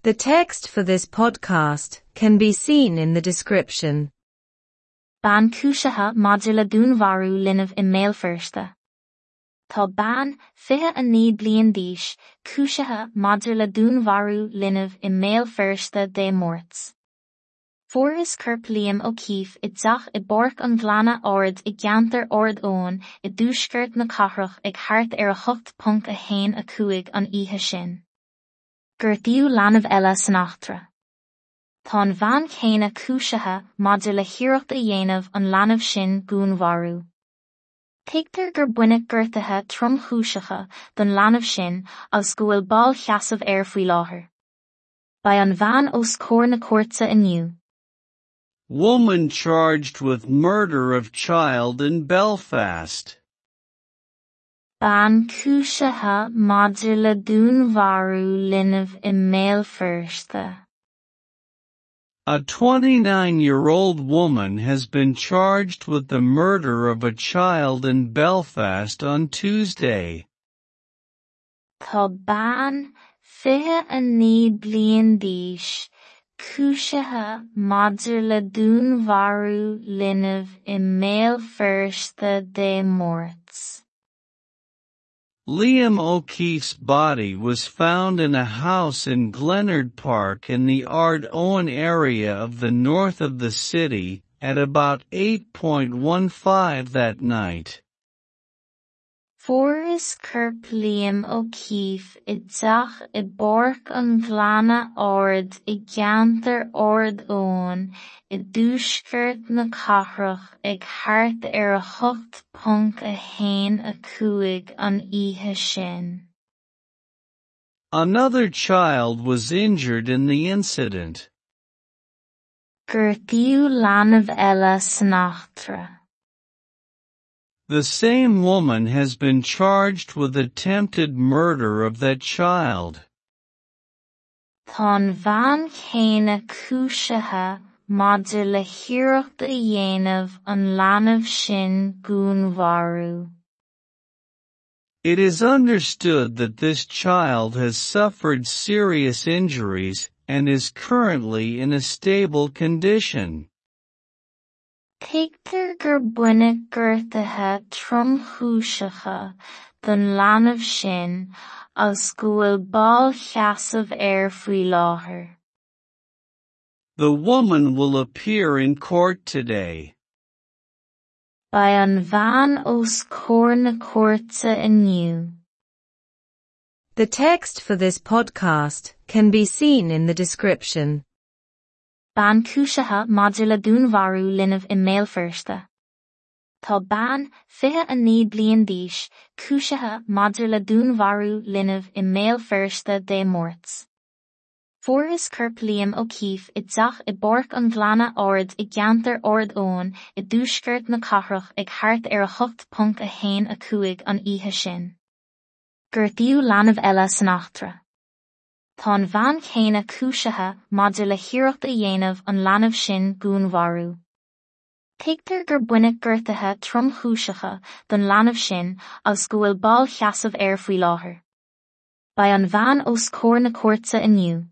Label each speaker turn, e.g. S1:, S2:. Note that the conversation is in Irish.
S1: The text for this podcast can be seen in the description.
S2: Bean cúisithe maidir le dúnmharú linbh i mBéal Feirste. Tá bean, 29 bliain d'aois, cúisithe maidir le dúnmharú linbh i mBéal Feirste Dé Máirt. Fuarthas corp Liam O'Keeffe i dteach i bPáirc an Ghleanna Ard i gceantar Ard Eoin i dtuaisceart na cathrach ag thart ar 8.15 an oíche sin. Gortaíodh leanbh eile san eachtra. Tá an bhean chéanna cúisithe maidir le hiarracht a dhéanamh an leanbh sin dhúnmharú. Tuigtear gur baineadh gortuithe tromchúiseacha don leanbh sin agus go bhfuil bail sheasaimh air faoi láthair. Beidh an bhean os comhair na cúirte inniu.
S3: Woman charged with murder of child in Belfast.
S2: Bean cúisithe maidir le dúnmharú linbh i mBéal Feirste.
S3: A 29-year-old woman has been charged with the murder of a child in Belfast on Tuesday.
S2: Tá bean, 29 bliain d'aois, cúisithe maidir le dúnmharú linbh i mBéal Feirste Dé Máirt.
S3: Liam O'Keefe's body was found in a house in Glenard Park in the Ard Owen area of the north of the city, at about 8.15 that night.
S2: Fuarthas corp Liam O'Keeffe i dteach i bPáirc an Ghleanna Ard i gceantar Ard Eoin i dtuaisceart na cathrach ag thart ar 8.15 an oíche sin.
S3: Another child was injured in the incident.
S2: Gortaíodh leanbh eile san eachtra.
S3: The same woman has been charged with attempted murder of that child.
S2: Tá an bhean chéanna cúisithe maidir le hiarracht a dhéanamh an leanbh sin dhúnmharú.
S3: It is understood that this child has suffered serious injuries and is currently in a stable condition.
S2: Tuigtear gur baineadh gortuithe tromchúiseacha don leanbh sin agus go bhfuil bail sheasaimh air faoi láthair.
S3: The woman will appear in court today.
S2: Beidh an bhean os comhair na cúirte inniu.
S1: The text for this podcast can be seen in the description.
S2: Bean cúisithe maidir le dúnmharú linbh i mBéal Feirste. Tá bean, 29 bliain d'aois, cúisithe maidir le dúnmharú linbh i mBéal Feirste Dé Máirt. Fuarthas corp Liam O'Keeffe i dteach i bPáirc an Ghleanna Ard i gceantar Ard Eoin i dtuaisceart na cathrach ag thart ar 8.15 an oíche sin. Gortaíodh leanbh eile san eachtra. Tá an bhean chéanna cúisithe maidir le hiarracht a dhéanamh an leanbh sin dhúnmharú. Tuigtear gur baineadh gortuithe tromchúiseacha don leanbh sin agus go bhfuil bail sheasaimh air faoi láthair. Beidh an bhean os comhair na cúirte inniu.